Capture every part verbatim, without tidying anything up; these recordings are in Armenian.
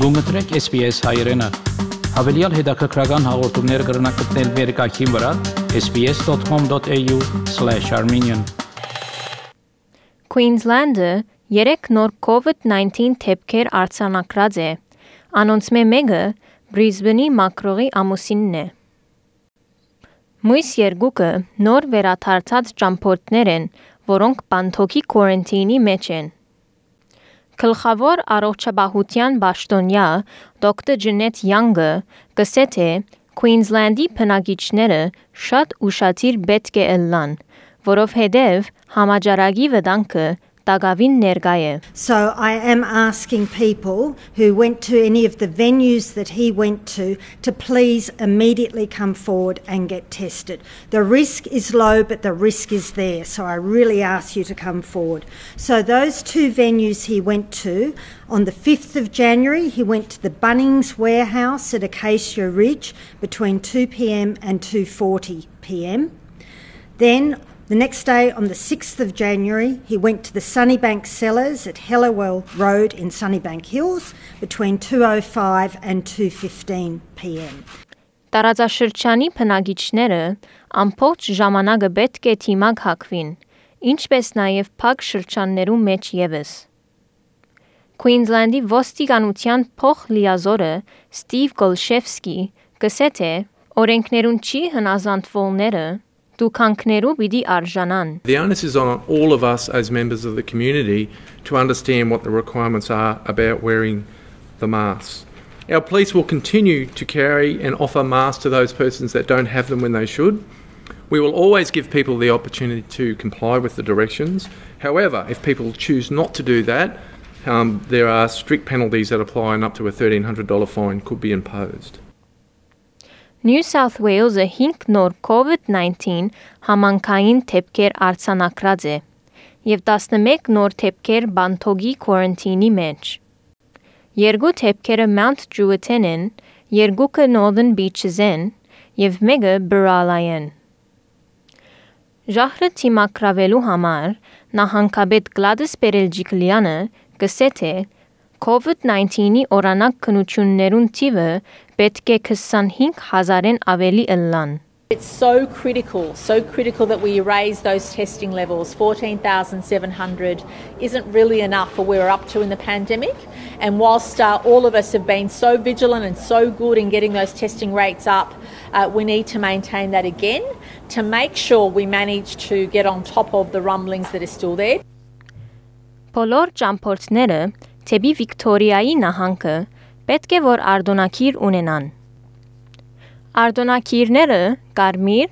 Գումտրեք S B S հայերեն։ Հավելյալ հետաքրքրական հաղորդումներ կգրնակցնել վերկայքին վրա s b s dot com dot a u slash armenian Queensland-ը երեք նոր COVID nineteen թեփքեր արձանագրած է։ Անոնց մեկը Brisbane-ի մակրողի ամուսինն է։ Մույս երկուքը նոր վերաթարցած ճամփորդներ են, որոնք բանթոքի quarantine-ի մեջ են։ Գլխավոր առողջապահության պաշտոնյա դոկտոր Ջենեթ Յանգը գսե թե Queensland-ի բնակիչները շատ ուշադիր պետք է ըլլան, որովհետև համաճարակի վտանգը տակավին ներկա է։ So I am asking people who went to any of the venues that he went to to please immediately come forward and get tested. The risk is low, but the risk is there. So I really ask you to come forward. So those two venues he went to, on the fifth of January, he went to the Bunnings Warehouse at Acacia Ridge between two p m and two forty p m. Then the next day, on the sixth of January, he went to the Sunnybank Cellars at Helliwell Road in Sunnybank Hills between two oh five and two fifteen p m. Տարածաշրջանի բնակիչները ամբողջ ժամանակը պետք է թիմակ հագվին, ինչպես նաև փակ շրջաններու մեջ ևս։ Queensland-ի ոստիկանության փոխլիազորը Ստիվ Գոլշևսկի գսե թե օրենքներուն չի հնազանդվողները դուքանքներու պիտի արժանան։ The onus is on all of us as members of the community to understand what the requirements are about wearing the masks. Our police will continue to carry and offer masks to those persons that don't have them when they should. We will always give people the opportunity to comply with the directions. However, if people choose not to do that, um, there are strict penalties that apply and up to a thirteen hundred dollars fine could be imposed. New South Wales-ը հինգ նոր COVID nineteen համանքային թեփքեր արձանագրած է եւ տասնմեկ նոր թեփքեր բանթոգի quarantine-ի մեջ։ Երկու թեփքերը Mount Druitt են, երկուքը Northern Beaches են եւ մեկը Burrala-ն։ Ժահրը թիմակրավելու համար նահանգապետ Գլադիս Պերելջիկլյանը գսե թե COVID nineteen-ի օրանակ քննություններուն թիվը պետք է twenty-five thousand-ն ավելի ըլլան։ It's so critical, so critical that we raise those testing levels. fourteen thousand seven hundred isn't really enough for where we're up to in the pandemic. And whilst uh, all of us have been so vigilant and so good in getting those testing rates up, uh, we need to maintain that again to make sure we manage to get on top of the rumblings that are still there. Բոլոր ճամփորդները թեպի Վիկտորիայի նահանգը պետք է որ արտոնակիր ունենան։ Արտոնակիրները կարմիր,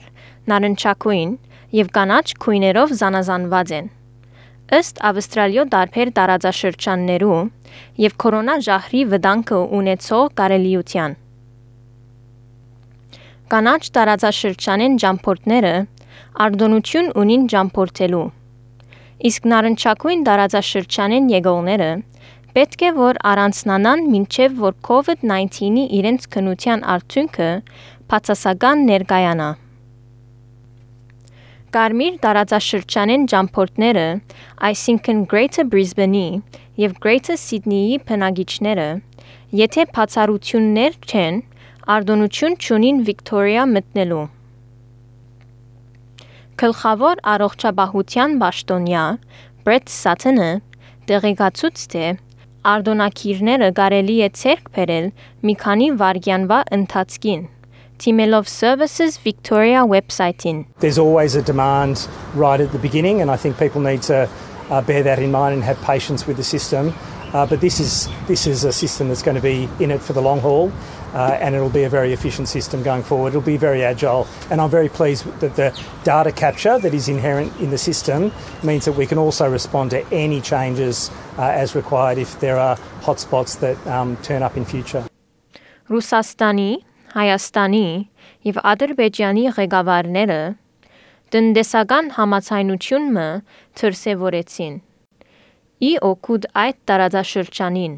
նարնջակույն եւ կանաչ քույներով զանազանված են։ Ըստ Ավստրալիո դարբեր տարածաշրջաններու եւ կորոնա ժահրի վտանգը ունեցող կարելիության։ Կանաչ տարածաշրջանեն ճամփորդները արտոնություն ունին ճամփորդելու։ Իսկ նարնջակույն տարածաշրջանեն եկողները պետք է որ առանցնանան մինչև որ COVID nineteen-ի իրենց քննության արդյունքը բացասական ներկայանա։ Կարմիր տարածաշրջանեն ճամփորդները, այսինքն Greater Brisbane-ի եւ Greater Sydney-ի բնակիչները, եթե բացառություններ չեն, արտոնություն չունին Վիկտորիա մտնելու։ Գլխավոր առողջապահության պաշտոնյա Brett Sutton-ը տեղեկացուց թե արտոնակիրները կարելի է ցերկ բերել մի քանի վայրկյանվա ընթացքին Temelov Services Victoria website-in. There's always a demand right at the beginning, and I think people need to uh, bear that in mind and have patience with the system. Uh, but this is this is a system that's going to be in it for the long haul, uh, and it'll be a very efficient system going forward. It'll be very agile, and I'm very pleased that the data capture that is inherent in the system means that we can also respond to any changes uh, as required if there are hotspots that um, turn up in future. Ռուսաստանի, Հայաստանի եւ Ադրբեջանի ղեկավարները տնտեսական համացայնությունը դրսևորեցին։ Ի օգուտ այդ տարածաշրջանին։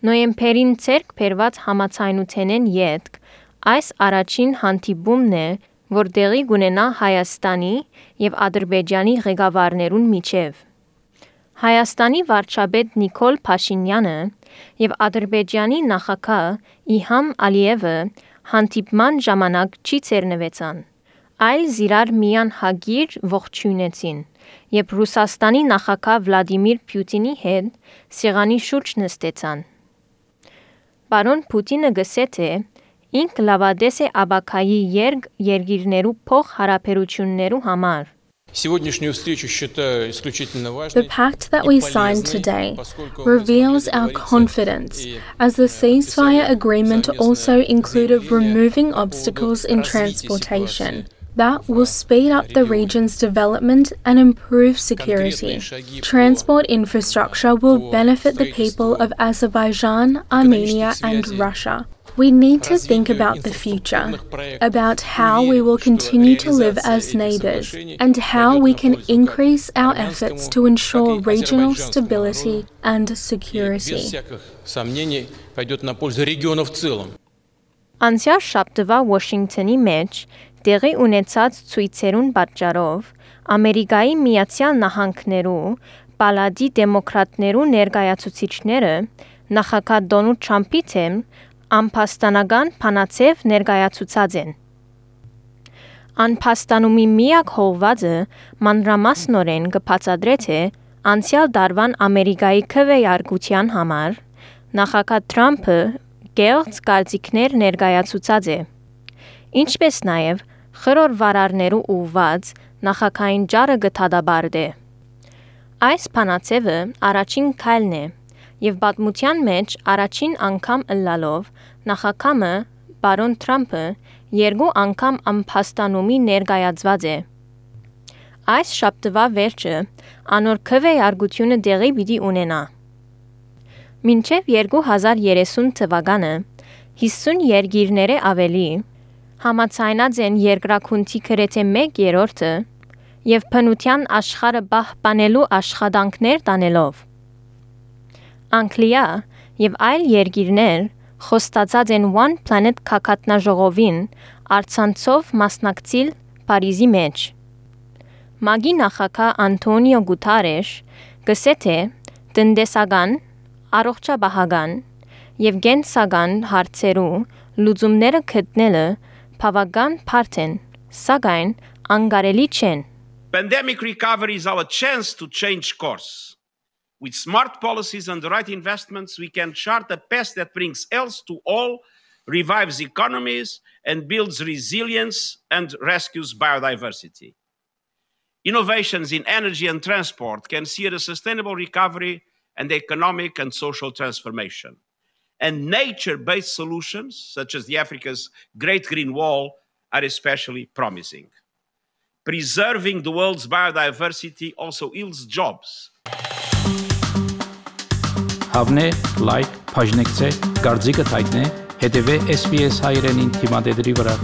Նոյեմբերին ցերկ բերված համացայնութենեն յետք այս առաջին հանդիպումն է, որ տեղի կունենա Հայաստանի եւ Ադրբեջանի ղեկավարներուն միջև։ Հայաստանի վարչապետ Նիկոլ Փաշինյանը եւ Ադրբեջանի նախագահ Իլհամ Ալիևը հանդիպման ժամանակ չի ցերնվեցան, այլ զիրար միան հագիր ողջունեցին եւ Ռուսաստանի նախագահ Վլադիմիր Պուտինի հետ սեղանի շուրջ նստեցան։ Պարոն Պուտինը գսե թե ինք լավադես է աբակայի երգ երգիրներու փող հարաբերություններու համար։ The pact that we signed today reveals our confidence, as the ceasefire agreement also included removing obstacles in transportation. That will speed up the region's development and improve security. Transport infrastructure will benefit the people of Azerbaijan, Armenia, and Russia. We need to think about the future, about how we will continue to live as neighbours, and how we can increase our efforts to ensure regional stability and security. Անցյալ շաբթվա Վաշինգտոնի մեջ տեղի ունեցած ցույցերուն պատճառով Ամերիկայի Միացյալ Նահանգներու պալատի դեմոկրատներու ներկայացուցիչները նախագահ Դոնալդ Թրամփի թեմ անփաստանական փանացև ներկայացուցած են։ Անփաստանումի միակ հողվածը մանրամասնորեն կբացատրե թե անցյալ դարվան Ամերիկայի քվեարկության համար նախագահ Թրամփը կեղծ կարծիքներ ներկայացուցած է, ինչպես նաև խորհրդ վարարներու ուղված նախագահային ջարը գտադաբարդ է։ Այս փանացևը առաջին քայլն է եւ պատմության մեջ առաջին անգամ ըլլալով նախագահը բարոն Թրամփը երկու անգամ անփաստանումի ներկայացված է։ Այս շաբթվա վերջը անոր քվեարկությունը դեղի պիտի ունենա։ Մինչև երկու հազար երեսուն թվականը հիսուն երկիրները ավելի համաձայնած են երկրակունքի գրեթե մեկ երրորդը եւ բնության աշխարհը պահպանելու աշխատանքներ տանելով։ Անգլիա եւ այլ երկիրներ խոստացած են One Planet քակատնաժողովին արցանցով մասնակցել Փարիզի մեջ։ Մագի նախագահ Անտոնիո Գուտարեշ գսե թե տնտեսական, առողջապահական եւ գենսական հարցերու լուծումները գտնելը բավական բարդ են, սակայն անկարելի չեն։ Pandemic recovery is our chance to change course. With smart policies and the right investments, we can chart a path that brings health to all, revives economies, and builds resilience and rescues biodiversity. Innovations in energy and transport can see a sustainable recovery and economic and social transformation. And nature-based solutions, such as the Africa's Great Green Wall, are especially promising. Preserving the world's biodiversity also yields jobs. Հավնե, լայք, բաժնեկցե, դարձիկը թայտնե, հետևե S B S հայրենին թիմադեդրի վրա։